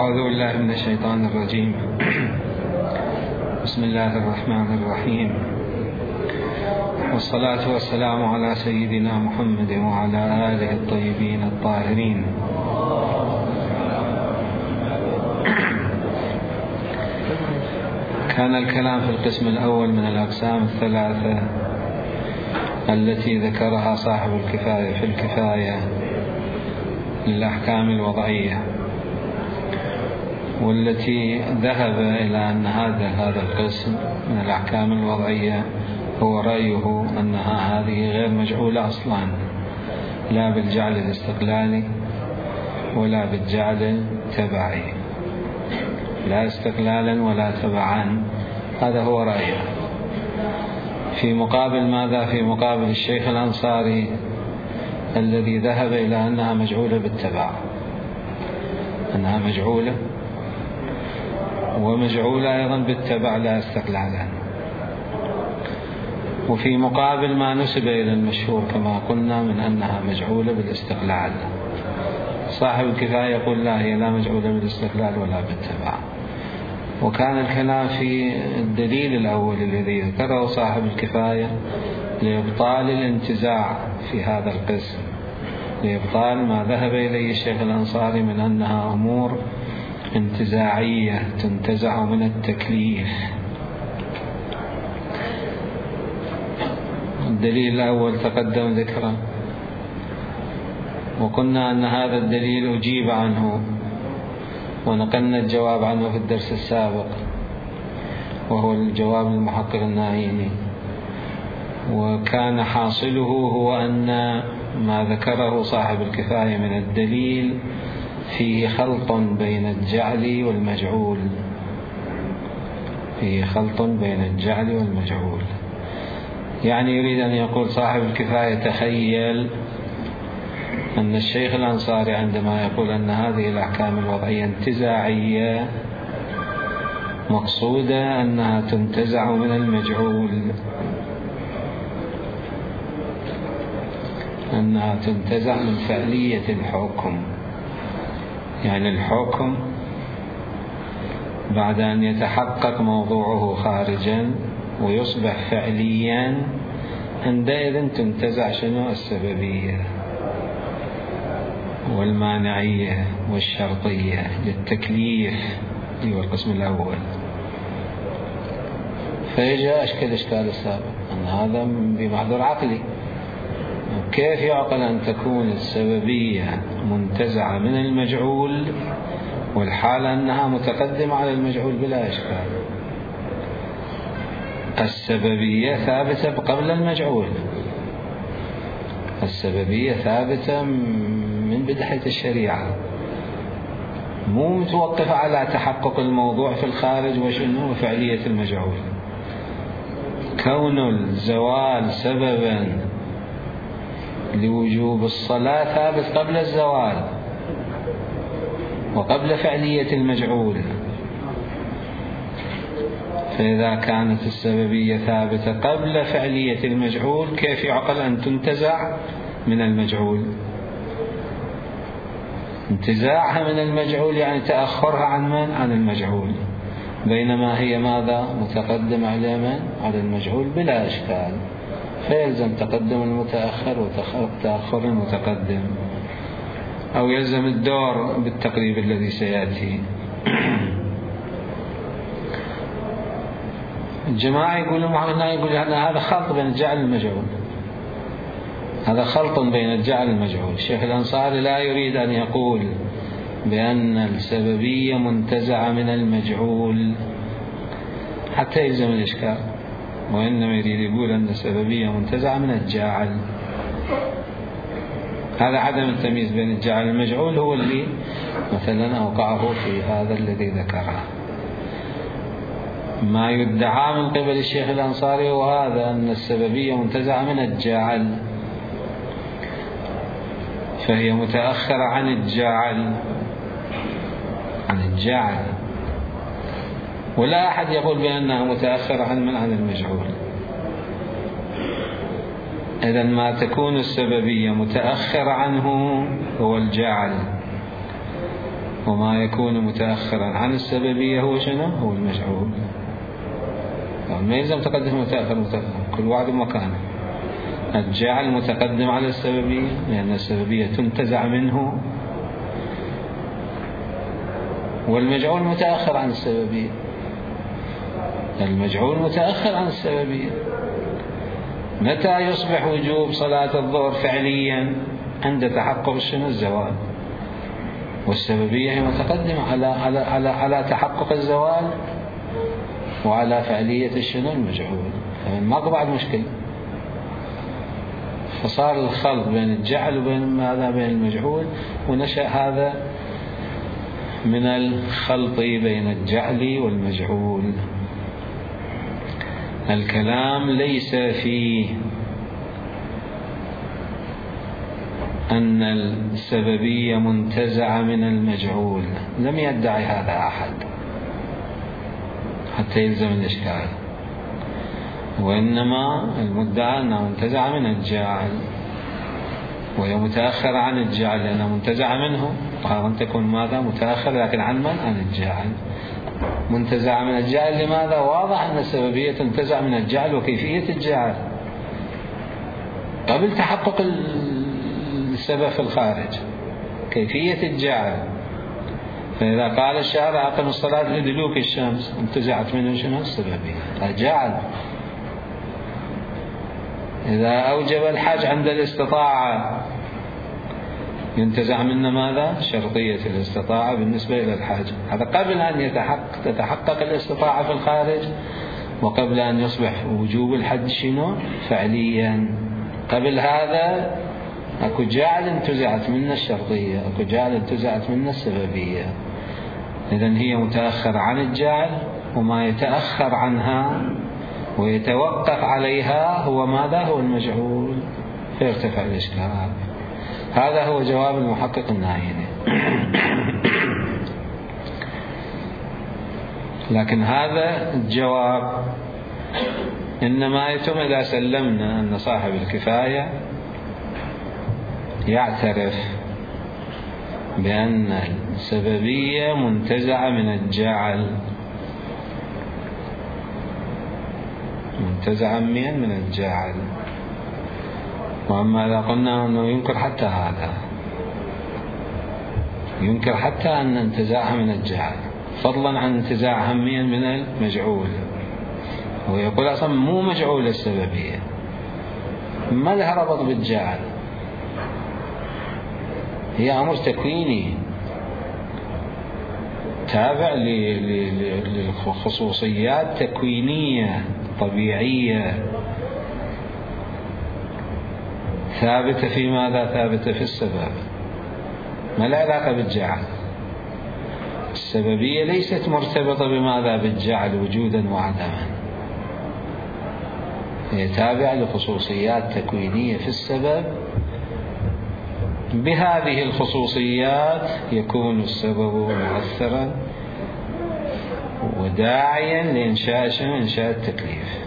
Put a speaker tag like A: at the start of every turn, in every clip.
A: أعوذ بالله من الشيطان الرجيم. بسم الله الرحمن الرحيم، والصلاة والسلام على سيدنا محمد وعلى آله الطيبين الطاهرين. كان الكلام في القسم الأول من الأقسام الثلاثة التي ذكرها صاحب الكفاية في الكفاية للأحكام الوضعية، والتي ذهب إلى أن هذا القسم من الأحكام الوضعية هو رأيه أنها هذه غير مجعولة أصلا، لا بالجعل الاستقلالي ولا بالجعل التبعي، لا استقلالا ولا تبعا. هذا هو رأيه. في مقابل ماذا؟ في مقابل الشيخ الأنصاري الذي ذهب إلى أنها مجعولة بالتبع، أنها مجعولة ومجعولة أيضا بالتبع لا استقلالا. وفي مقابل ما نسب إلى المشهور كما قلنا من أنها مجعولة بالاستقلال، صاحب الكفاية يقول لا، هي لا مجعولة بالاستقلال ولا بالتبع. وكان الكلام في الدليل الأول الذي ذكره صاحب الكفاية لإبطال الانتزاع في هذا القسم، لإبطال ما ذهب إليه الشيخ الأنصاري من أنها أمور انتزاعية تنتزع من التكليف. الدليل الأول تقدم ذكره، وقلنا أن هذا الدليل أجيب عنه ونقلنا الجواب عنه في الدرس السابق، وهو الجواب المحقق الناهيني. وكان حاصله هو أن ما ذكره صاحب الكفاية من الدليل فيه خلط بين الجعل والمجعول، فيه خلط بين الجعل والمجعول. يعني يريد أن يقول صاحب الكفاية تخيل أن الشيخ الأنصاري عندما يقول أن هذه الأحكام الوضعية انتزاعية مقصودة أنها تنتزع من المجعول، أنها تنتزع من فعلية الحكم. يعني الحكم بعد أن يتحقق موضوعه خارجا ويصبح فعليا، عندئذ تنتزع شنو؟ السببية والمانعية والشرطية للتكليف، هو القسم الأول. فيجاء الإشكال السابق أن هذا بمحضر عقلي، كيف يعقل أن تكون السببية منتزعة من المجعول والحالة أنها متقدمة على المجعول؟ بلا إشكال. السببية ثابتة قبل المجعول، السببية ثابتة من بداية الشريعة، مو متوقفة على تحقق الموضوع في الخارج وشنو فعلية المجعول. كون الزوال سببا لوجوب الصلاة ثابت قبل الزوال وقبل فعلية المجعول. فإذا كانت السببية ثابتة قبل فعلية المجعول، كيف يعقل أن تنتزع من المجعول؟ انتزاعها من المجعول يعني تأخرها عن من؟ عن المجعول، بينما هي ماذا؟ متقدم على من؟ على المجعول بلا إشكال. فيلزم تقدم المتأخر وتأخر المتقدم، أو يلزم الدور بالتقريب الذي سيأتي. الجماعة يقولون هذا خلط بين الجعل والمجعول، هذا خلط بين الجعل والمجعول. الشيخ الأنصاري لا يريد أن يقول بأن السببية منتزعة من المجعول حتى يلزم الإشكال، وإنما يريد يقول أن السببية منتزعة من الجاعل. هذا عدم التمييز بين الجاعل والمجعول هو اللي مثلا أوقعه في هذا الذي ذكره. ما يدعى من قبل الشيخ الأنصاري هو هذا، أن السببية منتزعة من الجاعل، فهي متأخرة عن الجاعل، عن الجاعل، ولا أحد يقول بأنها متأخرة عن المجعول. إذا ما تكون السببية متأخر عنه هو الجعل، وما يكون متأخرا عن السببية هو شنو؟ هو المجعول. ما يلزم تقدم متأخر، كل واحد مكانه. الجعل متقدم على السببية لأن السببية تنتزع منه، والمجعول متأخر عن السببية. المجعول متأخر عن السببية. متى يصبح وجوب صلاة الظهر فعليا؟ عند تحقق شنو؟ الزوال. والسببية هي متقدمة على تحقق الزوال وعلى فعلية شنو؟ المجعول. ماكو بعد مشكلة. فصار الخلط بين الجعل وبين ماذا؟ بين المجعول، ونشأ هذا من الخلط بين الجعل والمجعول. الكلام ليس فيه أن السببية منتزعة من المجعول، لم يدعي هذا أحد حتى يلزم الإشكال، وإنما المدعى أنها منتزعة من الجعل، وهي متأخرة عن الجعل لأنها منتزعة منه. وهذا تكون ماذا؟ متأخر، لكن عن من؟ عن الجعل. منتزعة من الجعل لماذا؟ واضح أن السببية تنتزع من الجعل، وكيفية الجعل قبل تحقق السبب في الخارج، كيفية الجعل. فإذا قال الشارع أقم الصلاة لدلوك الشمس، انتزعت منه شنو؟ السببية، الجعل. إذا أوجب الحج عند الاستطاعة، ينتزع منا ماذا؟ شرطية الاستطاعة بالنسبة إلى الحج. هذا قبل أن تتحقق الاستطاعة في الخارج، وقبل أن يصبح وجوب الحج شنو؟ فعليا. قبل هذا أكو جعل انتزعت منا الشرطية، أكو جعل انتزعت منا السببية. إذن هي متأخر عن الجعل، وما يتأخر عنها ويتوقف عليها هو ماذا؟ هو المجعول، فيرتفع الإشكال. هذا هو جواب المحقق الناهيني. لكن هذا الجواب إنما يتم إذا سلمنا أن صاحب الكفاية يعترف بأن السببية منتزعة من الجعل، منتزعا من الجعل. وأما إذا قلنا أنه ينكر حتى هذا، ينكر حتى أن انتزاعها من الجعل، فضلا عن انتزاعها من المجعول. ويقول أصلا مو مجعول السببية، ما لها ربط بالجعل، هي أمر تكويني تابع لخصوصيات تكوينية طبيعية ثابتة في ماذا؟ ثابتة في السبب، ما لها علاقة بالجعل. السببية ليست مرتبطة بماذا؟ بالجعل وجودا وعدما، هي تابعة لخصوصيات تكوينية في السبب. بهذه الخصوصيات يكون السبب مؤثرا وداعيا لإنشاء التكليف.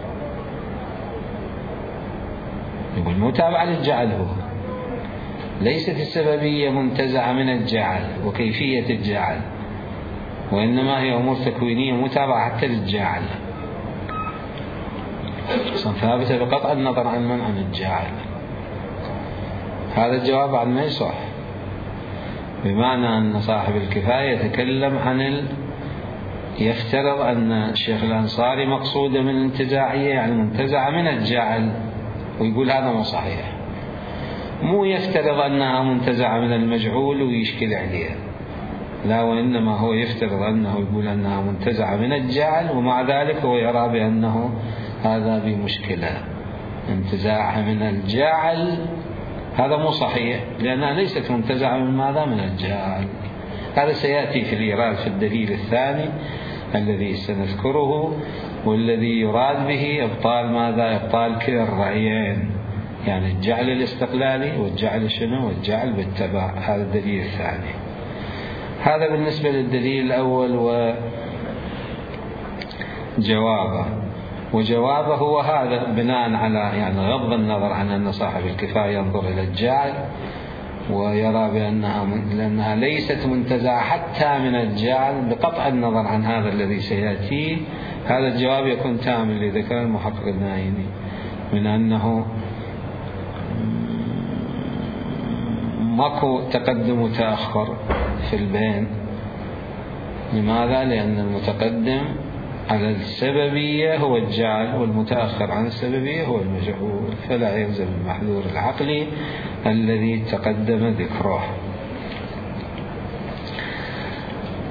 A: يقول متابعة للجعل، هو ليست السببية منتزعة من الجعل وكيفية الجعل، وإنما هي أمور تكوينية متابعة حتى للجعل، ثابتة بقطع النظر عن من؟ عن الجعل. هذا الجواب بعد ما يصح، بمعنى أن صاحب الكفاية يتكلم عن يفترض أن الشيخ الأنصاري مقصودة من الانتزاعية يعني منتزعة من الجعل، ويقول هذا مو صحيح. مو يفترض أنها منتزعة من المجعول ويشكل عليها، لا، وإنما هو يفترض أنه يقول أنها منتزعة من الجعل، ومع ذلك هو يرى بأنه هذا بمشكلة. انتزاعها من الجعل هذا مو صحيح، لأنها ليست منتزعة من ماذا؟ من الجعل. هذا سيأتي في الإيراد في الدليل الثاني الذي سنذكره، والذي يراد به إبطال ماذا؟ إبطال كلا الرأيين، يعني الجعل الاستقلالي والجعل شنو؟ والجعل بالتبع. هذا الدليل الثاني. هذا بالنسبة للدليل الأول وجوابه هو هذا، بناء على يعني غض النظر عن أن صاحب الكفاية ينظر إلى الجعل ويرى لأنها ليست منتزعة حتى من الجعل بقطع النظر عن هذا الذي سيأتي. هذا الجواب يكون تام اللي ذكر المحقق النايني من أنه ماكو تقدم وتأخر في البين. لماذا؟ لأن المتقدم على السببية هو الجعل، والمتأخر عن السببية هو المجعول، فلا يلزم المحذور العقلي الذي تقدم ذكره.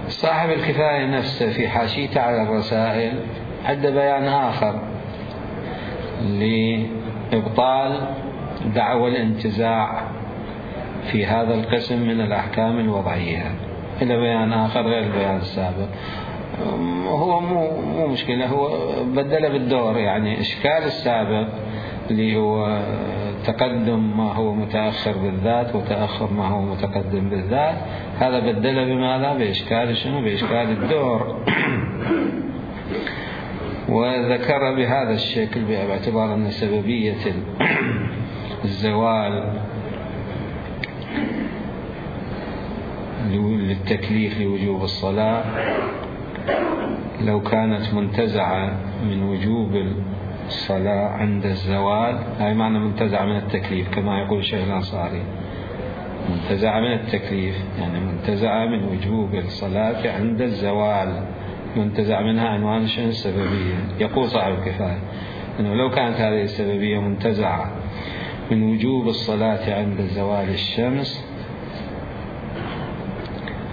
A: صاحب الكفاية نفسه في حاشيته على الرسائل عنده بيان آخر لإبطال دعوى الانتزاع في هذا القسم من الأحكام الوضعية، إلى بيان آخر غير البيان السابق. هو مو مشكلة، هو بدل بالدور، يعني إشكال السابق اللي هو تقدم ما هو متأخر بالذات وتأخر ما هو متقدم بالذات، هذا بدل بماذا؟ بإشكال شنو؟ بإشكال الدور. وذكر بهذا الشكل باعتبار أن سببية الزوال للتكليف لوجوب الصلاة لو كانت منتزعة من وجوب الصلاة عند الزوال، هاي معنى منتزعة من التكليف كما يقول الشيخ الأنصاري، منتزعة من التكليف يعني منتزعة من وجوب الصلاة عند الزوال، منتزع منها عنوان شنو؟ السببية. يقول صاحب الكفاية أنه لو كانت هذه السببية منتزعة من وجوب الصلاة عند زوال الشمس،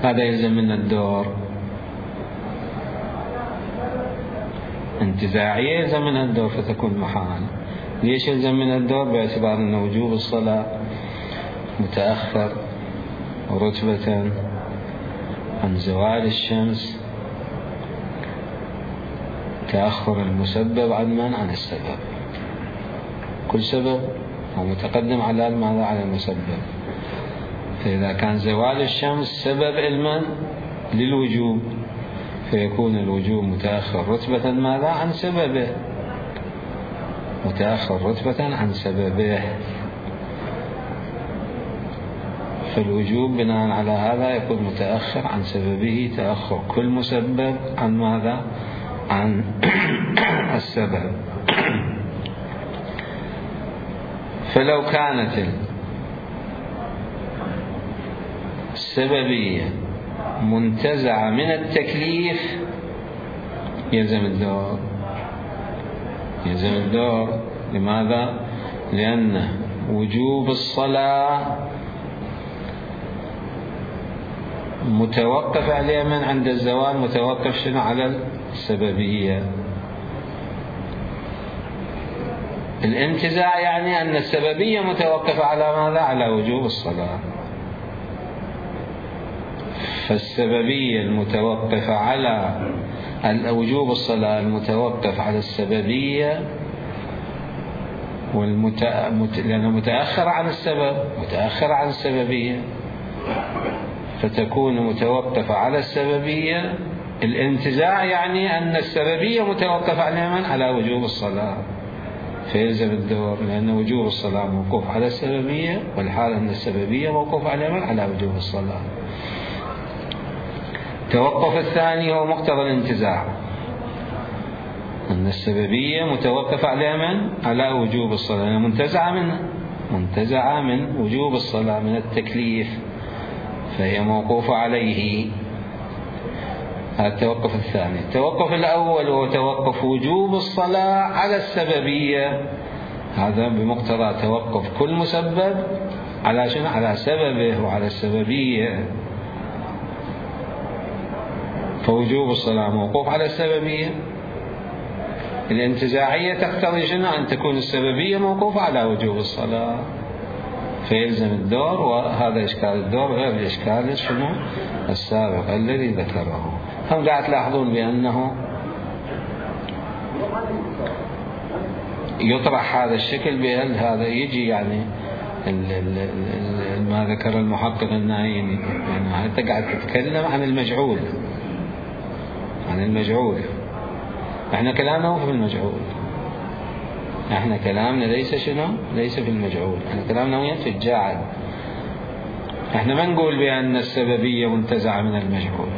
A: هذا يلزم من الدور انتزاعية، يلزم منها الدور فتكون محال. ليش يلزم من الدور؟ باعتبار أن وجوب الصلاة متأخر رتبة عن زوال الشمس، تأخر المسبب عن من؟ عن السبب. كل سبب هو متقدم على ماذا؟ على المسبب. فإذا كان زوال الشمس سبب علما للوجوب، فيكون الوجوب متأخر رتبة ماذا؟ عن سببه، متأخر رتبة عن سببه. فالوجوب بناء على هذا يكون متأخر عن سببه تأخر كل مسبب عن ماذا؟ عن السبب. فلو كانت السببية منتزعة من التكليف يلزم الدور، يلزم الدور. لماذا؟ لأن وجوب الصلاة متوقف عليه من عند الزوال، متوقف شنو؟ على السببية. الانتزاع يعني أن السببية متوقفة على ماذا؟ على وجوب الصلاة. فالسببية المتوقفة على وجوب الصلاة المتوقف على السببية لأنه متأخر عن السبب، متأخر عن السببية، فتكون متوقفة على السببية. الانتزاع يعني أن السببية متوقفة على من؟ على وجوب الصلاة، فيلزم الدور، لأن وجوب الصلاة موقوف على السببية، والحال أن السببية موقوف على من؟ على وجوب الصلاة. التوقف الثاني هو مقتضى الانتزاع، أن السببية متوقفة على من؟ على وجوب الصلاة، يعني منتزعة من وجوب الصلاة من التكليف، فهي موقوفة عليه. هذا التوقف الثاني. التوقف الأول هو توقف وجوب الصلاة على السببية، هذا بمقتضى توقف كل مسبب على شنو؟ على سببه وعلى السببية. فوجوب الصلاة موقوف على السببية. الانتزاعية تقتضي شنو؟ أن تكون السببية موقوفة على وجوب الصلاة، فيلزم الدور. وهذا إشكال الدور غير الإشكال شنو؟ السابق الذي ذكره. هم قاعد تلاحظون بأنه يطرح هذا الشكل بأن هذا يجي يعني ما ذكر المحقق النايني، يعني أنت قاعد تتكلم عن المجعول، عن المجعول. احنا كلامنا مو في المجعول، احنا كلامنا ليس شنو؟ ليس في المجعول، احنا كلامنا وين؟ في الجاعل. احنا ما نقول بأن السببية منتزعة من المجهول،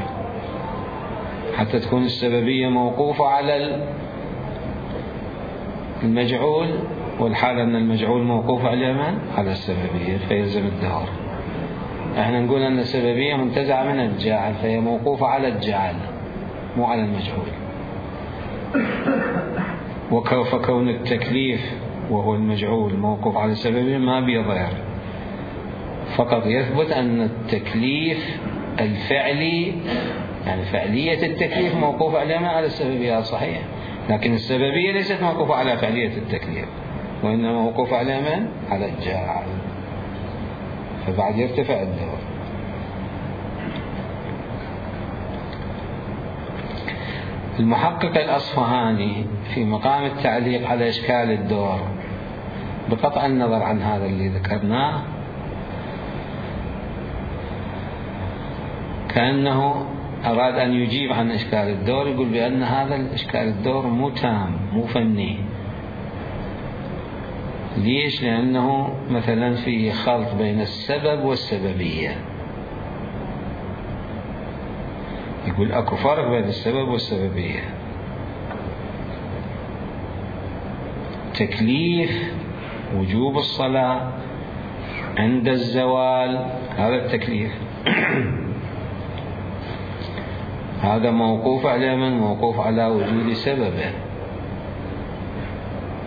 A: حتى تكون السببية موقوفة على المجعول، والحال أن المجعول موقوف على من؟ على السببية، فيلزم الدور. احنا نقول أن السببية منتزعة من الجاعل، فهي موقوفة على الجاعل مو على المجعول. فكون التكليف وهو المجعول موقوف على السببية ما بيضير، فقط يثبت أن التكليف الفعلي، يعني فعلية التكليف موقوفة على السببية، صحيح، لكن السببية ليست موقوفة على فعلية التكليف، وإنما موقوفة على من؟ على الجاعل، فبعد يرتفع الدور. المحقق الأصفهاني في مقام التعليق على إشكال الدور، بقطع النظر عن هذا اللي ذكرناه، كأنه أراد أن يجيب عن إشكال الدور، يقول بأن هذا الإشكال الدور مو تام، مو فني. ليش؟ لأنه مثلا فيه خلط بين السبب والسببية. يقول أكو فرق بين السبب والسببية. تكليف وجوب الصلاة عند الزوال، هذا التكليف هذا موقوف على من؟ موقوف على وجود سببه.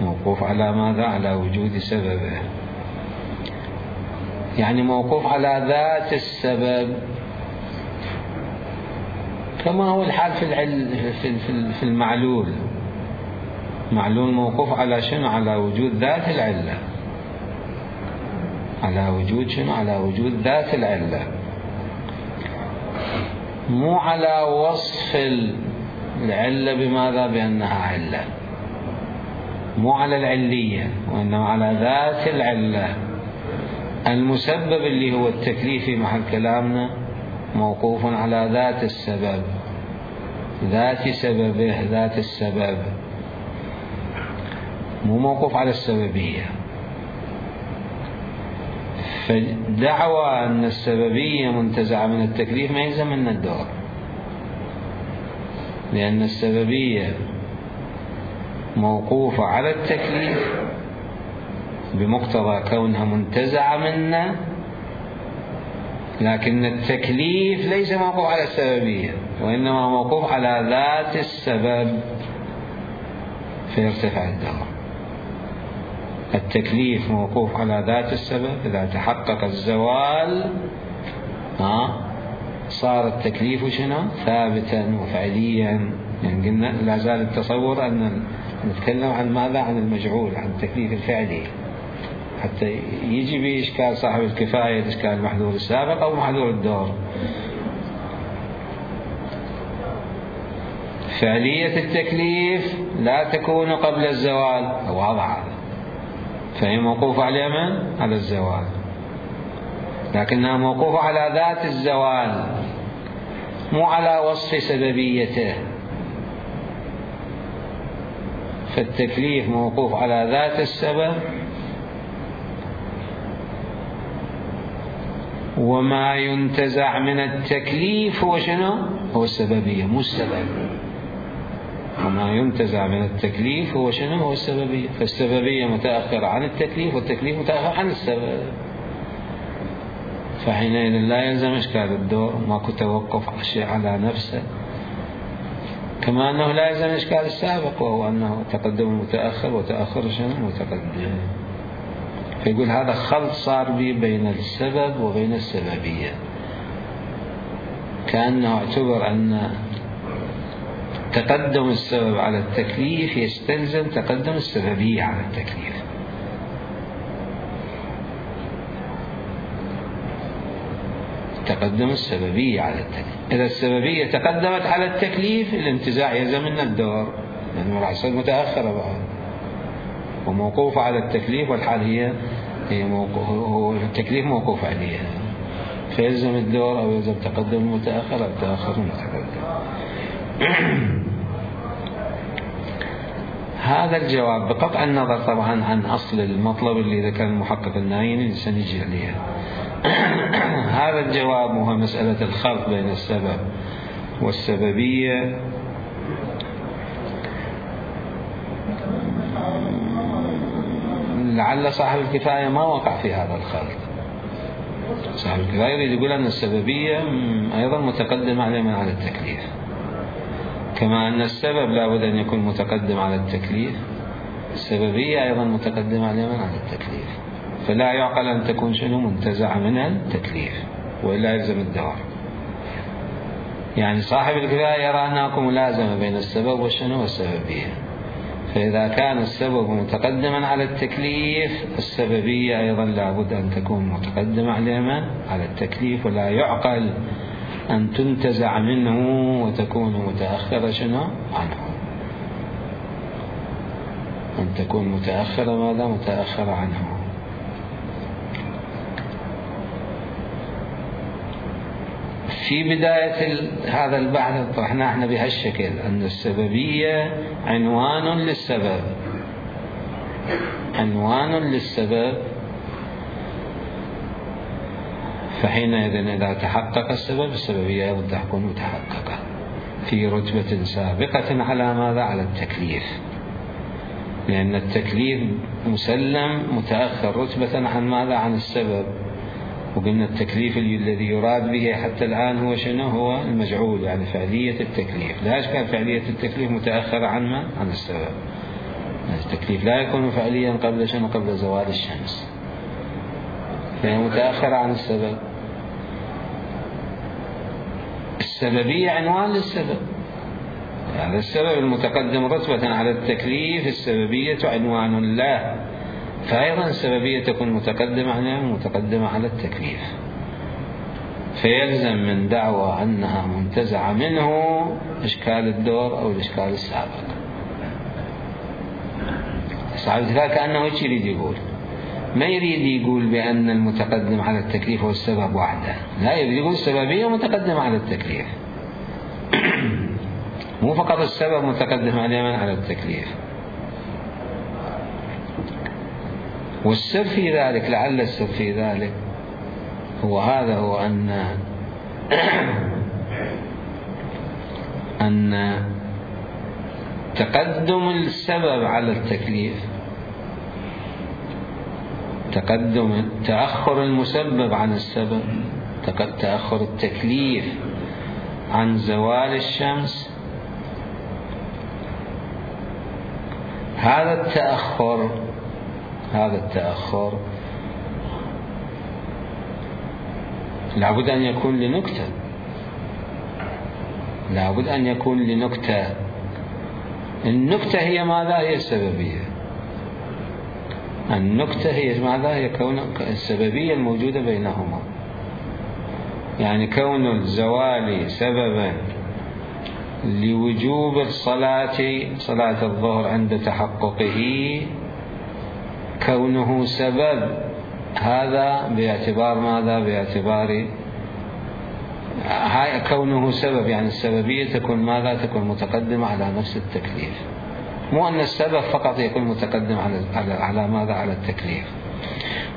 A: موقوف على ماذا؟ على وجود سببه، يعني موقوف على ذات السبب، كما هو الحال في المعلول. معلول موقوف على شنو؟ على وجود ذات العلة، على وجود شنو؟ على وجود ذات العلة، مو على وصف العلة بماذا؟ بأنها علة، مو على العلية، وإنما على ذات العلة. المسبب اللي هو التكليف في محل كلامنا موقوف على ذات السبب، ذات سببه، ذات السبب، مو موقوف على السببية. فدعوى أن السببية منتزعة من التكليف ما يلزم من الدور، لأن السببية موقوفة على التكليف بمقتضى كونها منتزعة منا، لكن التكليف ليس موقوف على السببية، وإنما موقوف على ذات السبب، فيرتفع الدور. التكليف موقوف على ذات السبب، إذا تحقق الزوال صار التكليف شنو؟ ثابتا وفعليا. يعني قلنا لا زال التصور أن نتكلم عن ماذا؟ عن المجعول، عن التكليف الفعلي، حتى يجي بإشكال صاحب الكفاية إشكال المحذور السابق أو محذور الدور. فعلية التكليف لا تكون قبل الزوال، واضح هذا، فهي موقوفة على من؟ على الزوال، لكنها موقوفة على ذات الزوال، مو على وصف سببيته. فالتكليف موقوف على ذات السبب، وما ينتزع من التكليف هو شنو؟ هو السببية مو السبب. وما ينتزع من التكليف هو شنو؟ هو السببية. فالسببية متأخرة عن التكليف، والتكليف متأخر عن السبب، فحينئذ لا يلزم إشكال الدور، ماكو توقف الشيء على نفسه، كما أنه لا يلزم إشكال السابق، وهو أنه تقدم متأخر وتأخر شنو؟ متقدم. فيقول هذا خلط صار به بين السبب وبين السببية، كأنه اعتبر أن تقدم السبب على التكليف يستلزم تقدم السببية على التكليف. تقدم السببية على التكليف. إذا السببية تقدمت على التكليف الانتزاع يلزم من الدور، لأنه راح يصير متأخرة بعد وموقوفة على التكليف، والحال هي هو التكليف موقوف عليها، فيلزم الدور أو يلزم تقدم المتأخر أو تأخر المتقدم. هذا الجواب بقطع النظر طبعا عن أصل المطلب اللي ذكر المحقق النايني اللي سنجي عليه، هذا الجواب هو مسألة الخلط بين السبب والسببية. لعل صاحب الكفاية ما وقع في هذا الخلط. صاحب الكفاية يريد يقول أن السببية أيضا متقدمة على التكليف، كما أن السبب لابد أن يكون متقدم على التكليف، السببية أيضا متقدمة على التكليف، فلا يعقل أن تكون شنو منتزعة منها التكليف وإلا يلزم الدوام. يعني صاحب الكفاية يرى أنها ملازمة بين السبب والشنو والسببية، فإذا كان السبب متقدما على التكليف السببية أيضا لابد أن تكون متقدمة على التكليف، ولا يعقل أن تنتزع منه وتكون متأخرة شنو عنه، أن تكون متأخرة متأخرة عنه. في بداية هذا البحث طرحنا احنا بهالشكل أن السببية عنوان للسبب، عنوان للسبب، فحينئذ إذا تحقق السبب السببية أيضا تكون متحققة في رتبة سابقة على ماذا؟ على التكليف، لأن التكليف مسلم متأخر رتبة عن ماذا؟ عن السبب. وقلنا التكليف الذي يراد به حتى الآن هو شنو؟ هو المجعول، يعني فعلية التكليف. لا إشكال فعلية التكليف متأخرة عن السبب. التكليف لا يكون فعليا قبل شنو؟ قبل زوال الشمس، فهي متأخرة عن السبب. السببية عنوان للسبب، يعني السبب المتقدم رتبة على التكليف السببية عنوان له، فأيضا السببية تكون متقدمة على التكليف، فيلزم من دعوى أنها منتزعة منه إشكال الدور أو الإشكال السابق. صاحب الكفاية كأنه ايش يريد يقول؟ ما يريد يقول بأن المتقدم على التكليف هو السبب وحده، لا، يريد يقول السببية متقدمة على التكليف مو فقط السبب متقدم على التكليف. والسر في ذلك، لعل السر في ذلك هو هذا، هو أن تقدم السبب على التكليف، تأخر المسبب عن السبب، تأخر التكليف عن زوال الشمس، هذا التأخر لابد أن يكون لنكتة، لابد أن يكون لنكتة. النكتة هي ماذا؟ هي السببية. النكتة هي ماذا؟ هي كون السببية الموجودة بينهما، يعني كون الزوال سببا لوجوب صلاة الظهر عند تحققه، كونه سبب، هذا باعتبار ماذا؟ باعتبار كونه سبب، يعني السببية تكون ماذا؟ تكون متقدمة على نفس التكليف، مو أن السبب فقط يكون متقدم على ماذا؟ على التكليف.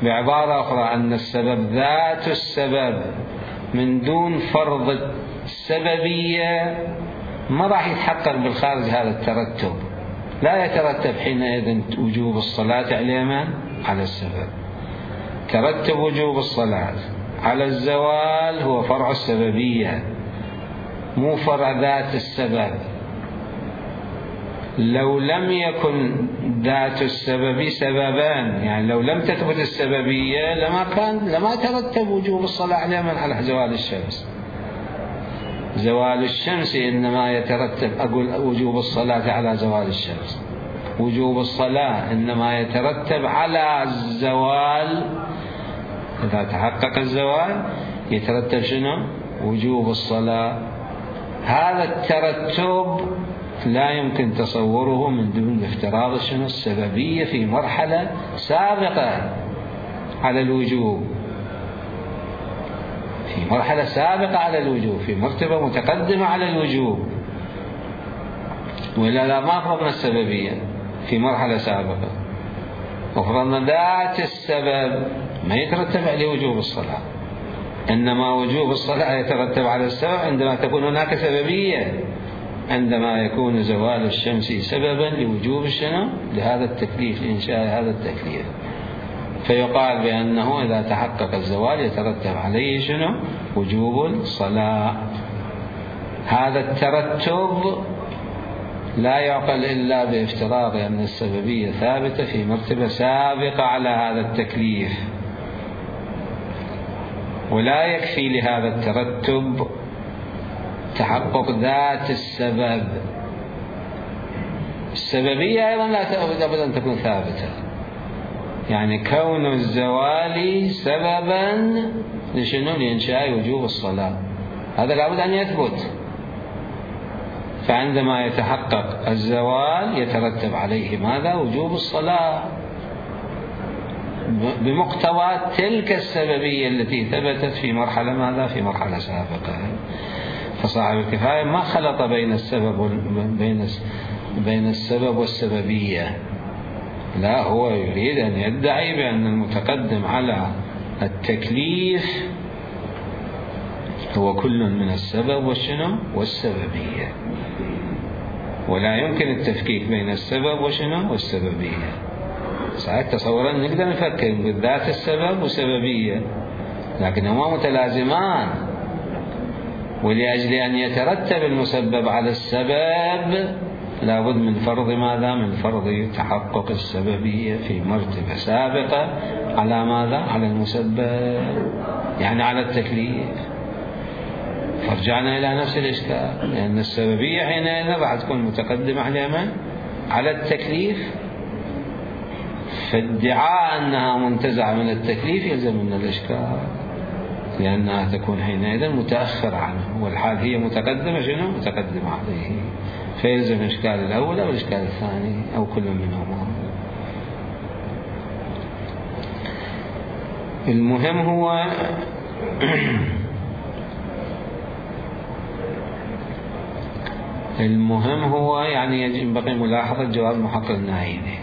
A: بعبارة أخرى أن السبب ذات السبب من دون فرض السببية ما راح يتحقق بالخارج هذا الترتب، لا يترتب حينئذ وجوب الصلاة على السبب. ترتب وجوب الصلاة على الزوال هو فرع السببية، مو فرع ذات السبب. لو لم يكن ذات السبب سببان، يعني لو لم تثبت السببية لما ترتب وجوب الصلاة على زوال الشمس. زوال الشمس إنما يترتب، أقول وجوب الصلاة على زوال الشمس، وجوب الصلاة إنما يترتب على الزوال، إذا تحقق الزوال يترتب شنو؟ وجوب الصلاة. هذا الترتب لا يمكن تصوره من دون افتراض شنو؟ السببية في مرحلة سابقة على الوجوب، في مرحلة سابقة على الوجوب، في مرتبة متقدمة على الوجوب، ولا ما فرضنا السببية في مرحلة سابقة، وفرضنا ذات السبب ما يترتب عليه وجوب الصلاة. إنما وجوب الصلاة يترتب على السبب عندما تكون هناك سببية، عندما يكون زوال الشمس سببا لوجوب شنو؟ لهذا التكليف، لإنشاء هذا التكليف، فيقال بأنه إذا تحقق الزوال يترتب عليه شنو؟ وجوب الصلاة. هذا الترتب لا يعقل إلا بافتراض أن السببية ثابتة في مرتبة سابقة على هذا التكليف، ولا يكفي لهذا الترتب تحقق ذات السبب. السببية أيضا لا تأبد أن تكون ثابتة، يعني كون الزوال سببا لشنو؟ لإنشاء وجوب الصلاة، هذا لابد أن يثبت. فعندما يتحقق الزوال يترتب عليه ماذا؟ وجوب الصلاة بمقتضى تلك السببية التي ثبتت في مرحلة ماذا؟ في مرحلة سابقة. فصاحب الكفاية ما خلط بين السبب والسببية، لا، هو يريد أن يدعي بأن المتقدم على التكليف هو كل من السبب والشنو؟ والسببية، ولا يمكن التفكيك بين السبب وشنو؟ والسببية. ساعات تصورا نقدر نفكر بالذات السبب وسببية، لكنهما متلازمان، ولأجل أن يترتب المسبب على السبب لابد من فرض ماذا؟ من فرض تحقق السببية في مرتبة سابقة على ماذا؟ على المسبب، يعني على التكليف. فرجعنا إلى نفس الإشكال، لأن السببية حينئذ راح تكون متقدمة على من؟ على التكليف، فادعاء أنها منتزعة من التكليف يلزم من الإشكال، لأنها تكون حينئذ متأخرة عنه، والحال هي متقدمة شنو؟ متقدمة عليه، فيلزم الإشكال الأول أو الإشكال الثاني أو كل منهما. المهم هو يعني ينبغي ملاحظة جواب محقق النعيمي.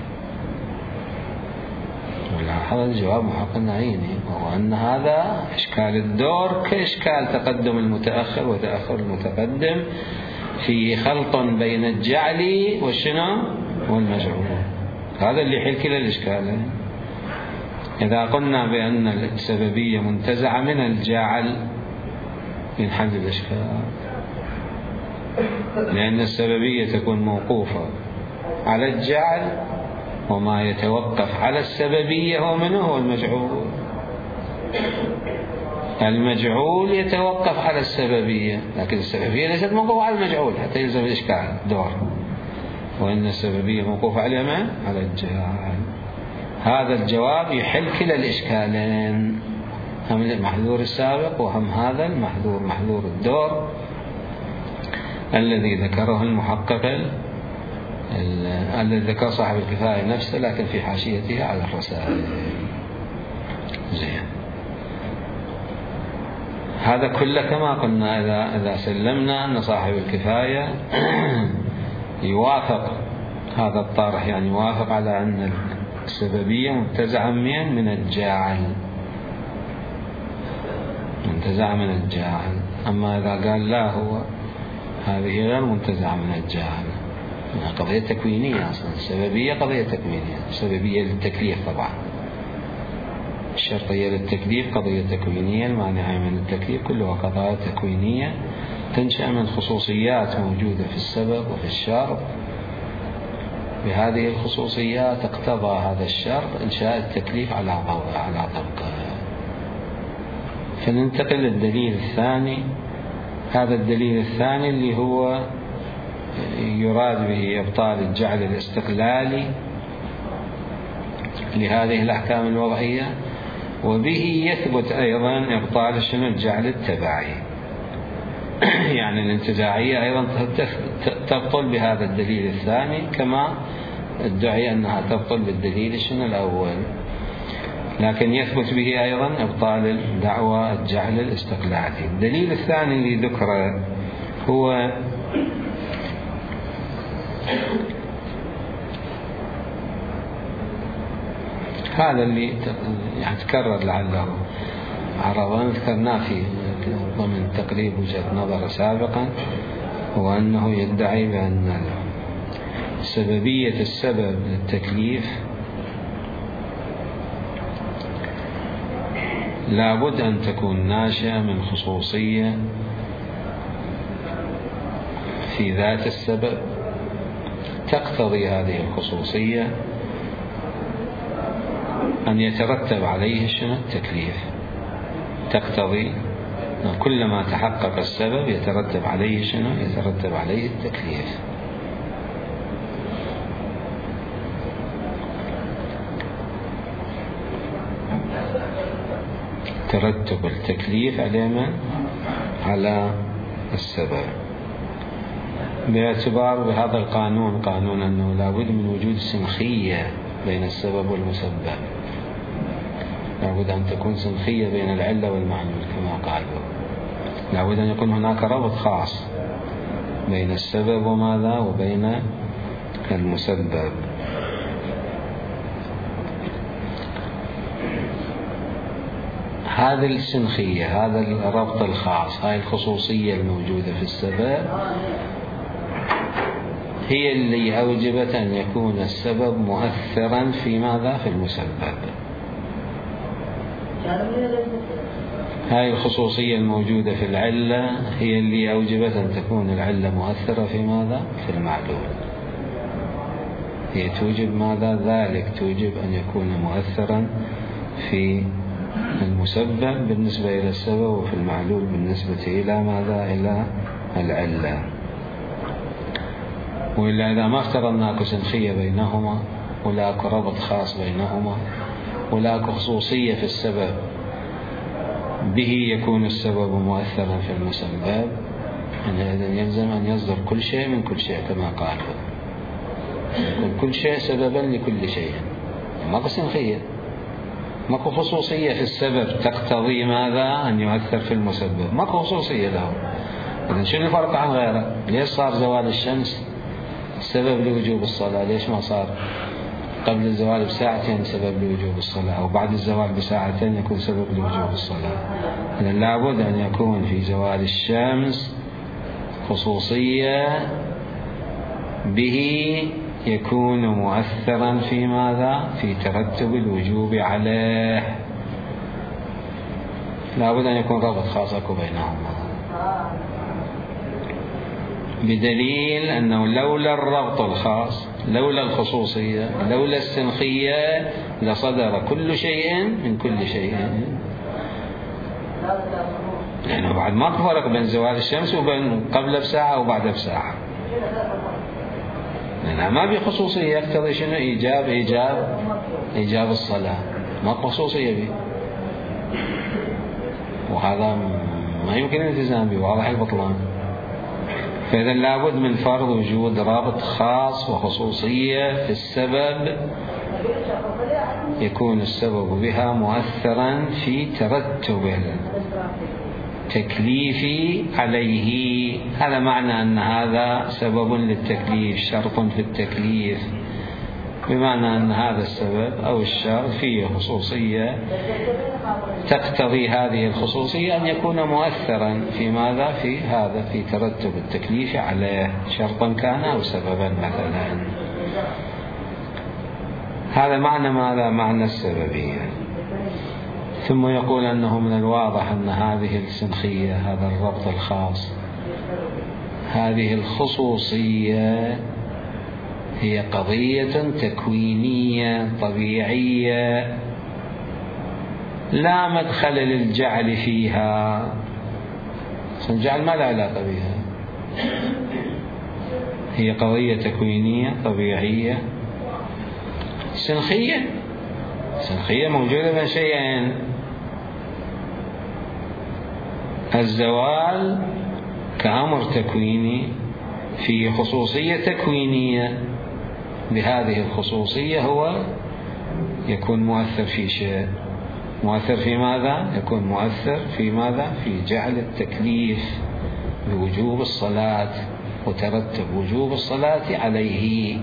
A: ملاحظة جواب محقق النعيمي وهو أن هذا إشكال الدور كإشكال تقدم المتأخر وتأخر المتقدم في خلط بين الجعل والشنو؟ والمجعول. هذا اللي يحل كلا الإشكالين. إذا قلنا بأن السببية منتزعة من الجعل ينحل الإشكال، لأن السببية تكون موقوفة على الجعل، وما يتوقف على السببية هو منه؟ هو المجعول. المجعول يتوقف على السببية، لكن السببية ليست موقوفة على المجعول حتى يلزم الإشكال دور، وإن السببية موقوفة على من؟ على الجعل. هذا الجواب يحل كلا الإشكالين، هم المحذور السابق وهم هذا المحذور، محذور الدور الذي ذكره المحقق الذي ذكر صاحب الكفاية نفسه، لكن في حاشيته على الرسائل. زين، هذا كله كما قلنا إذا سلمنا أن صاحب الكفاية يوافق هذا الطارح، يعني يوافق على أن السببية منتزعة من الجاعل، منتزعة من الجاعل. أما إذا قال لا، هو هذه غير منتزعة من الجاعل، قضية تكوينية أصلا. السببية قضية تكوينية، السببية للتكليف طبعا، الشرطية للتكليف قضية تكوينية، المانعة من التكليف كلها قضايا تكوينية تنشأ من خصوصيات موجودة في السبب وفي الشرط. بهذه الخصوصيات اقتضى هذا الشرط إنشاء التكليف على طبقه. فننتقل للدليل الثاني. هذا الدليل الثاني اللي هو يراد به إبطال الجعل الاستقلالي لهذه الأحكام الوضعية، وبه يثبت أيضا إبطال شنو؟ الجعل التبعي. يعني الانتزاعية أيضا تبطل بهذا الدليل الثاني، كما ادعي أنها تبطل بالدليل شنو الأول، لكن يثبت به أيضا إبطال دعوى الجعل الاستقلالي. الدليل الثاني اللي ذكره هو هذا اللي يعني تكرر لعله عرضا ذكرنا في ضمن تقريب وجهة نظر سابقا، هو أنه يدعي بأن سببية السبب للتكليف لابد أن تكون ناشئة من خصوصية في ذات السبب تقتضي هذه الخصوصية أن يترتب عليه شنو؟ التكليف. تقتضي كلما تحقق السبب يترتب عليه شنو؟ يترتب عليه التكليف. ترتب التكليف على السبب، باعتبار بهذا القانون، قانون أنه لابد من وجود سنخية بين السبب والمسبب، لابد أن تكون سنخية بين العلة والمعلول كما قالوا، لابد أن يكون هناك ربط خاص بين السبب وماذا وبين المسبب. هذه السنخية، هذا الربط الخاص، هاي الخصوصية الموجودة في السبب هي اللي أوجبت أن يكون السبب مؤثرا في ماذا؟ في المسبب. هاي الخصوصية الموجودة في العلة هي اللي أوجبت أن تكون العلة مؤثرة في ماذا؟ في المعلول. هي توجب ماذا؟ ذلك توجب أن يكون مؤثرا في المسبب بالنسبة إلى السبب، وفي المعلول بالنسبة إلى ماذا؟ إلى العلة. وإلا إذا ما افترضنا اكو سنخية بينهما ولا اكو ربط خاص بينهما ولا اكو خصوصية في السبب به يكون السبب مؤثرا في المسبب، إذن يلزم أن يصدر كل شيء من كل شيء كما قالوا، يكون كل شيء سببا لكل شيء. ماكو سنخية، ماكو خصوصية في السبب تقتضي ماذا؟ أن يؤثر في المسبب، ماكو خصوصية له. إذن شنو الفرق عن غيره؟ ليش صار زوال الشمس سبب لوجوب الصلاة؟ ليش ما صار قبل الزوال بساعتين سبب لوجوب الصلاة، أو بعد الزوال بساعتين يكون سبب لوجوب الصلاة؟ إذن لابد أن يكون في زوال الشمس خصوصية به يكون مؤثرا في ماذا؟ في ترتب الوجوب عليه. لابد أن يكون رابط خاص بينهما، بدليل أنه لولا الربط الخاص، لولا الخصوصية، لولا السنخية لصدر كل شيء من كل شيء. لأنه بعد ما فرق بين زوال الشمس وبين قبل بساعة وبعد بساعة، لأنها ما في خصوصية يقتضي شنو؟ إيجاب الصلاة، ما خصوصية به، وهذا ما يمكن الالتزام به، واضح البطلان. فإذا لابد من فرض وجود رابط خاص وخصوصية في السبب يكون السبب بها مؤثرا في ترتب التكليف عليه. هذا معنى أن هذا سبب للتكليف، شرط في التكليف، بمعنى أن هذا السبب أو الشرط فيه خصوصية تقتضي هذه الخصوصية أن يكون مؤثرا في ماذا؟ في هذا، في ترتب التكليف عليه، شرطا كان أو سببا مثلا. هذا معنى ماذا؟ معنى السببية. ثم يقول أنه من الواضح أن هذه السنخية، هذا الربط الخاص، هذه الخصوصية هي قضية تكوينية طبيعية لا مدخل للجعل فيها. الجعل ما له علاقة بها، هي قضية تكوينية طبيعية سنخية موجودة بين شيئين: الزوال كأمر تكويني فيه خصوصية تكوينية، بهذه الخصوصية هو يكون مؤثر في شيء. مؤثر في ماذا؟ يكون مؤثر في ماذا؟ في جعل التكليف بوجوب الصلاة وترتب وجوب الصلاة عليه،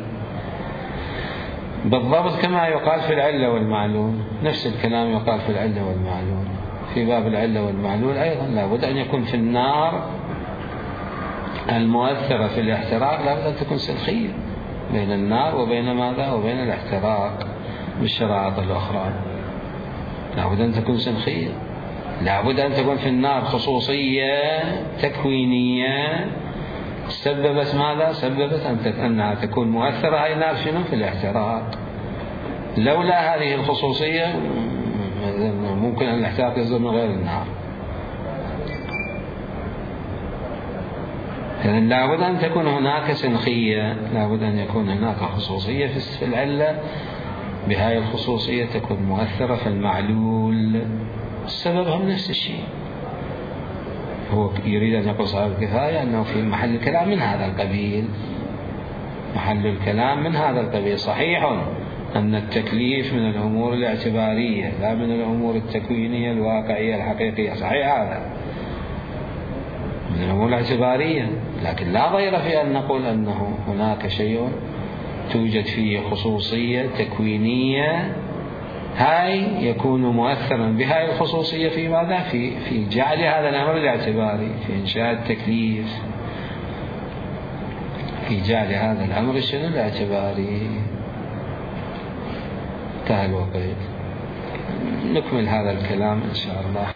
A: بالضبط كما يقال في العلة والمعلول. نفس الكلام يقال في العلة والمعلول. في باب العلة والمعلول أيضا لابد أن يكون في النار المؤثرة في الاحتراق لابد أن تكون سلخية بين النار وبين ماذا؟ وبين الاحتراق بالشرائط الأخرى. لابد أن تكون سلخية، لابد أن تكون في النار خصوصية تكوينية سببت ماذا؟ سببت أنها تكون مؤثرة هاي النار شنو؟ في الاحتراق. لولا هذه الخصوصية ممكن أن الاحتراق يصدر من غير النار. إذن لابد أن تكون هناك سنخية، لابد أن يكون هناك خصوصية في العلة، بهاي الخصوصية تكون مؤثرة في المعلول. السبب هم نفس الشيء. هو يريد أن يقول صاحب الكفاية أنه في محل الكلام من هذا القبيل، محل الكلام من هذا القبيل. صحيح أن التكليف من الأمور الاعتبارية لا من الأمور التكوينية الواقعية الحقيقية، صحيح هذا من الأمور الاعتبارية، لكن لا ضير في أن نقول أنه هناك شيء توجد فيه خصوصية تكوينية هاي يكون مؤثرا بهاي الخصوصية في ماذا؟ في جعل هذا الأمر الاعتباري، في إنشاء التكليف، في جعل هذا الأمر شنو؟ الاعتباري. انتهى الوقت، نكمل هذا الكلام إن شاء الله.